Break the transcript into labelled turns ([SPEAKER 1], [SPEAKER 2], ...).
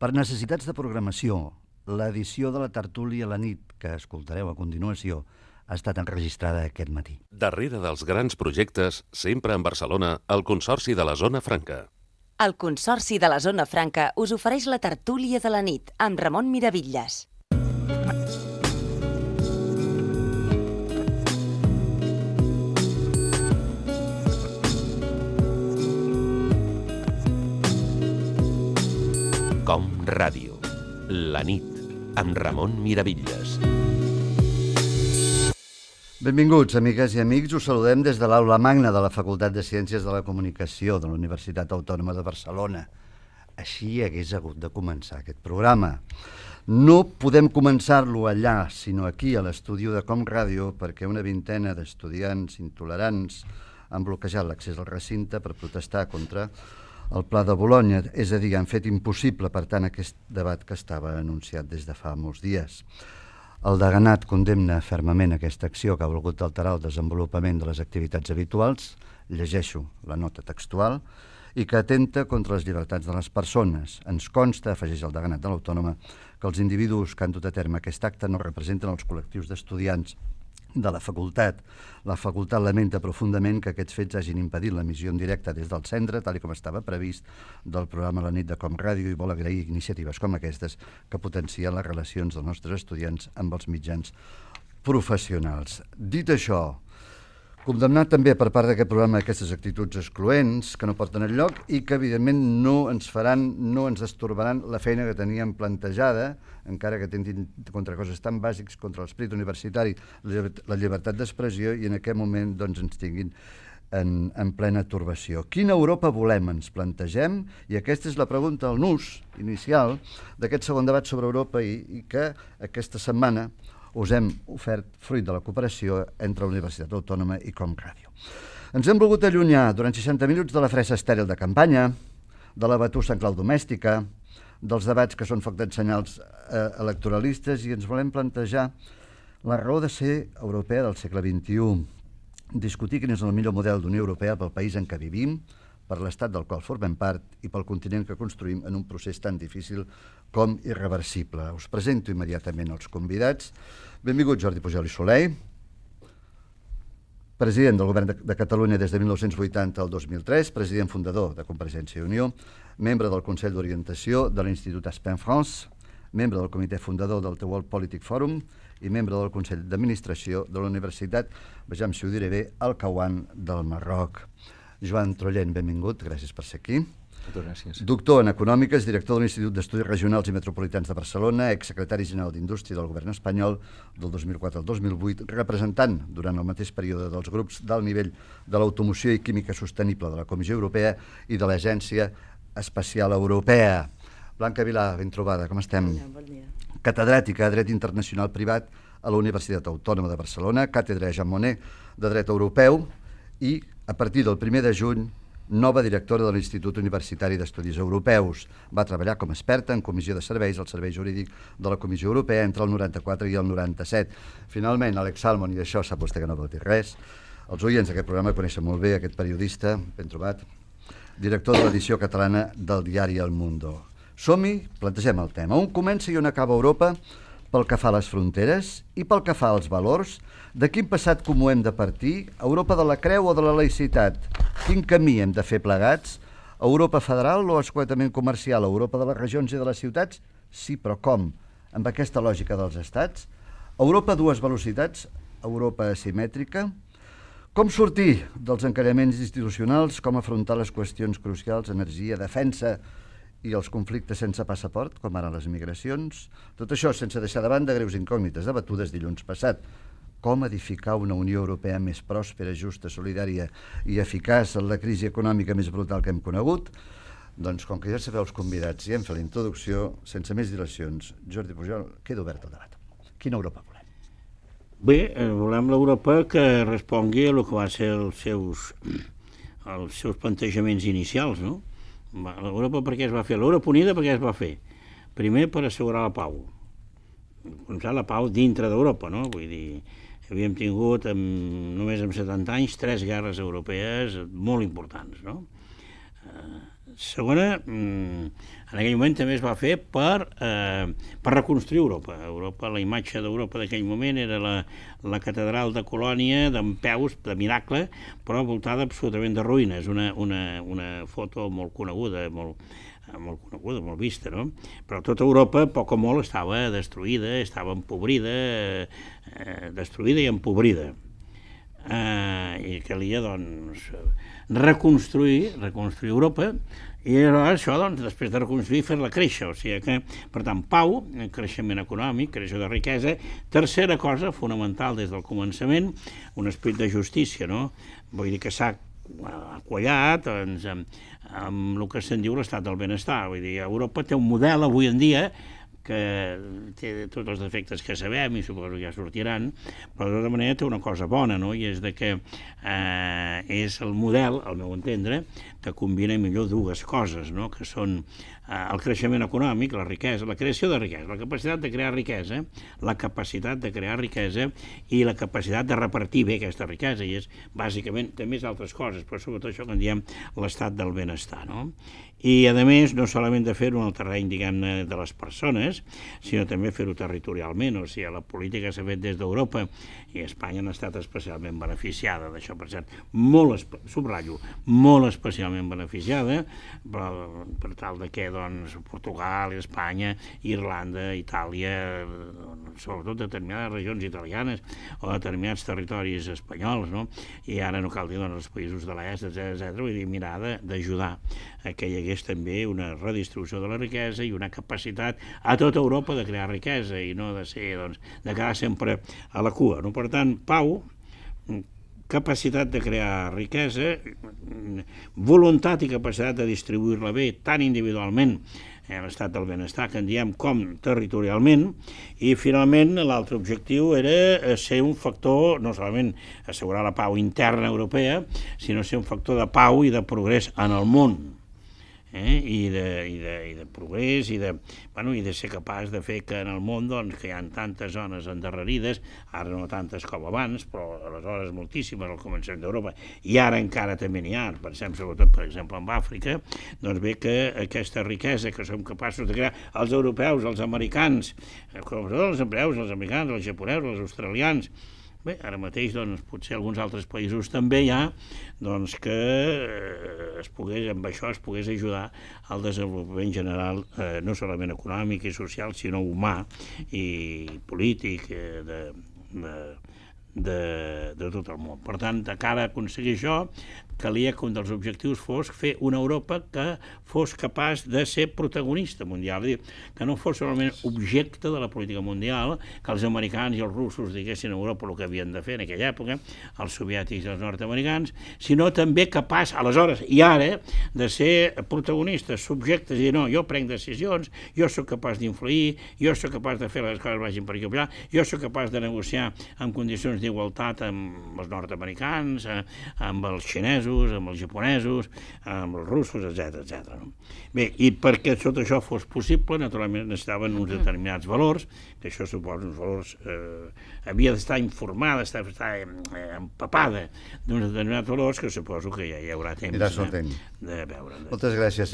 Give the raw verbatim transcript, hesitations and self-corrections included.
[SPEAKER 1] Per necessitats de programació, l'edició de la tertúlia a la nit, que escoltareu a continuació, ha estat enregistrada aquest matí.
[SPEAKER 2] Darrere dels grans projectes, sempre en Barcelona, el Consorci de la Zona Franca.
[SPEAKER 3] El Consorci de la Zona Franca us ofereix la tertúlia de la nit amb Ramon Miravitlles.
[SPEAKER 2] Com Ràdio. La nit, amb Ramon Miravitlles.
[SPEAKER 1] Benvinguts, amigues i amics. Us saludem des de l'Aula Magna de la Facultat de Ciències de la Comunicació de la Universitat Autònoma de Barcelona. Així hagués hagut de començar aquest programa. No podem començar-lo allà, sinó aquí, a l'estudi de Com Ràdio, perquè una vintena d'estudiants intolerants han bloquejat l'accés al recinte per protestar contra el Pla de Bolonya, és a dir, han fet impossible, per tant, aquest debat que estava anunciat des de fa molts dies. El deganat condemna fermament aquesta acció que ha volgut alterar el desenvolupament de les activitats habituals, llegeixo la nota textual, i que atenta contra les llibertats de les persones. Ens consta, afegeix el deganat de l'Autònoma, que els individus que han dut a terme aquest acte no representen els col·lectius d'estudiants de la facultat. La facultat lamenta profundament que aquests fets hagin impedit l'emissió en directe des del centre, tal com estava previst, del programa La nit de Com Ràdio, i vol agrair iniciatives com aquestes que potencien les relacions dels nostres estudiants amb els mitjans professionals. Dit això, condemnat també per part d'aquest programa aquestes actituds excloents que no porten enlloc i que evidentment no ens faran, no ens estorbaran la feina que teníem plantejada, encara que tentin contra coses tan bàsics, contra l'esperit universitari, la llibertat d'expressió, i en aquest moment doncs, ens tinguin en, en plena turbació. Quina Europa volem, ens plantegem? I aquesta és la pregunta, el nus inicial d'aquest segon debat sobre Europa i, i que aquesta setmana us hem ofert fruit de la cooperació entre la Universitat Autònoma i Com Ràdio. Ens hem volgut allunyar durant seixanta minuts de la fressa estèril de campanya, de la batussa en clau domèstica, dels debats que són foc d'ensenyals eh, electoralistes, i ens volem plantejar la raó de ser europea del segle vint-i-u, discutir quin és el millor model d'Unió Europea pel país en què vivim, per l'estat del qual formem part i pel continent que construïm en un procés tan difícil com irreversible. Us presento immediatament els convidats. Benvingut Jordi Pujol i Soler, president del Govern de Catalunya des de mil nou-cents vuitanta al dos mil tres, president fundador de Convergència i Unió, membre del Consell d'Orientació de l'Institut Aspen France, membre del comitè fundador del The World Politic Forum i membre del Consell d'Administració de la Universitat, vejam si ho diré bé, Al-Kawan del Marroc. Joan Trollent, benvingut, gràcies per ser aquí.
[SPEAKER 4] Moltes gràcies.
[SPEAKER 1] Doctor en Econòmiques, director de l'Institut d'Estudis Regionals i Metropolitans de Barcelona, exsecretari general d'Indústria del Govern espanyol del dos mil quatre al dos mil vuit, representant durant el mateix període dels grups d'alt nivell de l'automoció i química sostenible de la Comissió Europea i de l'Agència Espacial Europea. Blanca Vilà, ben trobada, com estem?
[SPEAKER 5] Bon dia.
[SPEAKER 1] Catedràtica de Dret Internacional Privat a la Universitat Autònoma de Barcelona, càtedra Jean Monnet de Dret Europeu i, a partir del primer de juny, nova directora de l'Institut Universitari d'Estudis Europeus. Va treballar com a experta en comissió de serveis al Servei Jurídic de la Comissió Europea entre el noranta-quatre i el noranta-set. Finalment, Alex Salmon, i d'això sap vostè que no vol dir res, els oients d'aquest programa coneixen molt bé aquest periodista, ben trobat, director de l'edició catalana del diari El Mundo. Som-hi, plantegem el tema. On comença i on acaba Europa pel que fa a les fronteres i pel que fa als valors? De quin passat comú hem de partir? Europa de la creu o de la laïcitat? Quin camí hem de fer plegats? Europa federal o escuetament comercial? Europa de les regions i de les ciutats? Sí, però com? Amb aquesta lògica dels estats? Europa a dues velocitats? Europa asimètrica? Com sortir dels encaraments institucionals? Com afrontar les qüestions crucials, energia, defensa i els conflictes sense passaport, com ara les migracions? Tot això sense deixar de banda greus incògnites debatudes dilluns passat. Com edificar una Unió Europea més pròspera, justa, solidària i eficaç en la crisi econòmica més brutal que hem conegut? Doncs com que ja sabeu els convidats i hem fet la introducció, sense més dilacions, Jordi Pujol, queda obert el debat. Quina Europa volem?
[SPEAKER 4] Bé, volem l'Europa que respongui a el que van ser els seus, els seus plantejaments inicials, no? L'Europa per què es va fer? L'Europa Unida per què es va fer? Primer per assegurar la pau. La pau dintre d'Europa, no? Vull dir, havíem tingut en, només en setanta anys tres guerres europees molt importants, no? Eh, Segona, en aquell moment també es va fer per, eh, per reconstruir Europa. Europa, la imatge d'Europa d'aquell moment era la, la catedral de Colònia, dempeus, de miracle, però voltada absolutament de ruïnes. Una, una, una foto molt coneguda, molt, molt coneguda, molt vista, no? Però tota Europa, poc o molt, estava destruïda, estava empobrida, eh, destruïda i empobrida. Eh, i calia, doncs, reconstruir, reconstruir Europa, i això, doncs, després de reconstruir, fer-la créixer. O sigui que, per tant, pau, creixement econòmic, creació de riquesa. Tercera cosa, fonamental des del començament, un esperit de justícia, no? Vull dir que s'ha quallat doncs, amb, amb el que se'n diu l'estat del benestar. Vull dir, Europa té un model avui en dia que té tots els defectes que sabem i suposo que ja sortiran, però de tota manera té una cosa bona, no? I és de que eh, és el model, al meu entendre, que combina millor dues coses, no? Que són eh, el creixement econòmic, la riquesa, la creació de riquesa, la capacitat de crear riquesa, la capacitat de crear riquesa i la capacitat de repartir bé aquesta riquesa, i és bàsicament, també és altres coses, però sobretot això que en diem l'estat del benestar, no? I, a més, no solament de fer-ho en el terreny, diguem-ne, de les persones, sinó també fer-ho territorialment, o sigui, la política s'ha fet des d'Europa, i Espanya n'ha estat especialment beneficiada d'això, per cert, molt, subratllo, molt especialment beneficiada, però per tal de que, doncs, Portugal, Espanya, Irlanda, Itàlia, sobretot determinades regions italianes o determinats territoris espanyols, no? I ara no cal dir, doncs, els països de l'est, etcètera, etcètera, vull dir, mirar d'ajudar a que hi hagués també una redistribució de la riquesa i una capacitat a tota Europa de crear riquesa i no de ser, doncs, de quedar sempre a la cua, no? Per tant, pau, capacitat de crear riquesa, voluntat i capacitat de distribuir-la bé, tant individualment, eh, l'estat del benestar, que en diem, com territorialment, i finalment l'altre objectiu era ser un factor, no solament assegurar la pau interna europea, sinó ser un factor de pau i de progrés en el món. Eh? I, de, i, de, i de progrés i de, bueno, i de ser capaç de fer que en el món, doncs, que hi ha tantes zones endarrerides, ara no tantes com abans, però aleshores moltíssimes al començament d'Europa, i ara encara també n'hi ha, pensem sobretot, per exemple, en Àfrica, doncs bé que aquesta riquesa que som capaços de crear els europeus, els americans, els europeus, els americans, els japonesos, els australians, bé, ara mateix, doncs, potser alguns altres països també hi ha, doncs, que es pogués, amb això es pogués ajudar al desenvolupament general, eh, no solament econòmic i social, sinó humà i polític eh, de, de, de, de tot el món. Per tant, de cara a aconseguir això, calia que un dels objectius fos fer una Europa que fos capaç de ser protagonista mundial, és a dir, que no fos solament objecte de la política mundial, que els americans i els russos diguessin a Europa el que havien de fer en aquella època, els soviètics i els nord-americans, sinó també capaç, aleshores i ara, de ser protagonistes, subjectes, i dir, no, jo prenc decisions, jo sóc capaç d'influir, jo sóc capaç de fer les coses vagin per aquí o per allà, jo sóc capaç de negociar en condicions d'igualtat amb els nord-americans, amb els xinesos, amb els japonesos, amb els russos, etcètera, etcètera. Bé, i perquè tot això fos possible, naturalment necessitaven uns determinats valors, que això suposa uns valors... Eh, havia d'estar informada, estar, estar eh, empapada d'uns determinats valors que suposo que ja hi haurà temps de, de veure.
[SPEAKER 1] Moltes gràcies.